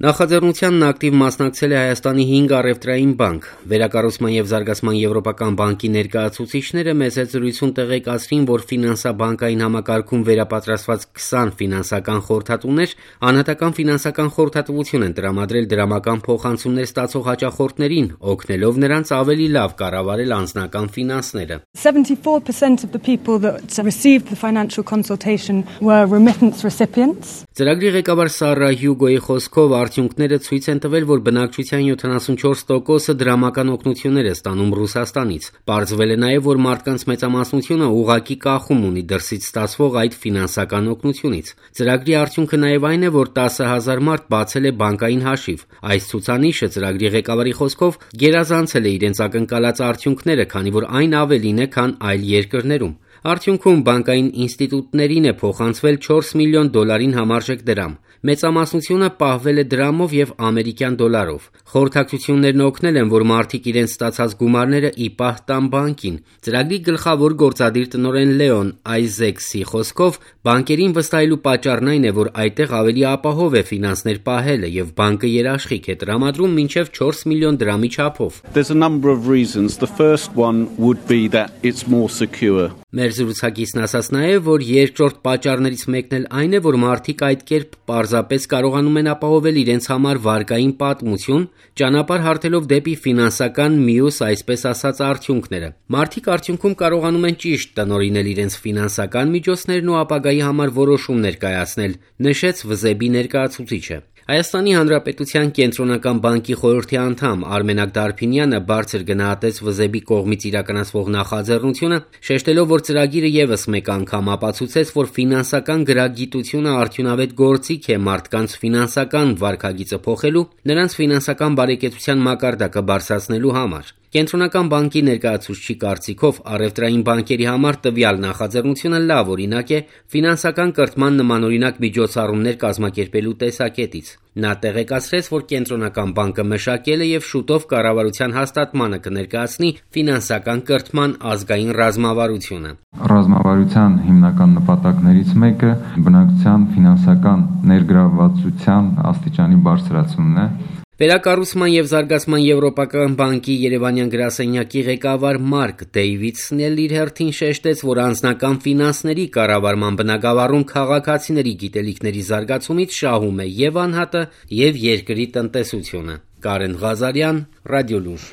Նախաձեռնությանն ակտիվ մասնակցել է Հայաստանի 5 առևտրային բանկ։ Վերակառուցման և զարգացման եվրոպական բանկի ներկայացուցիչները մեծ հետ զրույցում տեղեկացրին, որ ֆինանսա-բանկային համակարգում վերապատրաստված 20 ֆինանսական խորհրդատուներ անհատական ֆինանսական խորհրդատվություն են տրամադրել դրամական փոխանցումներ ստացող հաճախորդներին, օգնելով նրանց ավելի լավ կառավարել անձնական ֆինանսները։ 74% of the people that received the financial consultation were remittance recipients. Ծրագրի ղեկավար Սարա Հյուգոյի խոսքով արդյունքները ցույց են տվել, որ բնակչության 74%-ը դրամական օգնություններ է ստանում Ռուսաստանից։ Պարզվել է նաև, որ մարդկանց մեծամասնությունը ուղղակի կախում ունի դրսից ստացվող այդ ֆինանսական օգնությունից։ Ծրագրի արդյունքը նաև այն է, որ 10,000 մարդ բացել է բանկային հաշիվ։ Այս ցուցանիշը ծրագրի ղեկավարի խոսքով գերազանցել է իրենց ակնկալած արդյունքները, քանի որ այն ավելին է, քան այլ երկրներում։ Արդյունքում բանկային ինստիտուտներին է փոխանցվել $4 միլիոն համարժեք դրամ։ Մեծամասնությունը պահվել է դրամով և ամերիկյան դոլարով։ Խորհրդակցություններն օգնել են, որ մարդիկ իրենց ստացած գումարները ի պահ տան բանկին։ Ծրագրի գլխավոր գործադիր տնօրեն Լեոն Այզեքսի խոսքով բանկերին վստահելու պատճառն այն է, որ այդտեղ ավելի ապահով է ֆինանսներ պահելը և բանկը երաշխիք է տրամադրում մինչև $4 միլիոն չափով։ There's a number of reasons. The first one would be that it's more secure. Մեր զրուցակիցն ասաց նաև, որ երկրորդ պատճառներից մեկն էլ այն է, որ մարդիկ այդ կերպ պարզապես կարողանում են ապահովել իրենց համար վարկային պատմություն, ճանապարհ հարթելով դեպի ֆինանսական մյուս, այսպես ասած, արդյունքները։ Մարդիկ արդյունքում կարողանում են ճիշտ տնօրինել իրենց ֆինանսական միջոցներն ու ապագայի համար որոշումներ կայացնել, նշեց ՎԶԲ ներկայացուցիչը։ Հայաստանի Հանրապետության Կենտրոնական բանկի խորհրդի անդամ Արմենակ Դարփինյանը բարձր գնահատեց ՎԶԲ կողմից իրականացվող նախաձեռնությունը, շեշտելով, որ ծրագիրը ևս մեկ անգամ ապացուցեց, որ ֆինանսական գրագիտությունը արդյունավետ գործիք է մարդկանց ֆինանսական վարքագիծը փոխելու, նրանց ֆինանսական բարեկեցության մակարդակը բարձրացնելու համար։ Կենտրոնական բանկի ներկայացուցչի կարծիքով առևտրային բանկերի համար տվյալ նախաձեռնությունը լավ օրինակ է ֆինանսական կրթման նմանօրինակ միջոցառումներ կազմակերպելու տեսակետից։ Նա տեղեկացրեց, որ Կենտրոնական բանկը մշակել է և շուտով կառավարության հաստատմանը կներկայացնի ֆինանսական կրթման ազգային ռազմավարությունը։ Ռազմավարության հիմնական նպատակներից մեկը բնակչության ֆինանսական ներգրավվածության աստիճանի բարձրացումն է։ Վերակառուցման և զարգացման եվրոպական բանկի երևանյան գրասենյակի ղեկավար Մարկ Դեյվիդսն էլ իր հերթին շեշտեց, որ անձնական ֆինանսների կառավարման բնագավառում քաղաքացիների գիտելիքների զարգացումից շահում է և անհատը, և երկրի տնտեսությունը։ Կարեն Ղազարյան, Ռադիոլուր։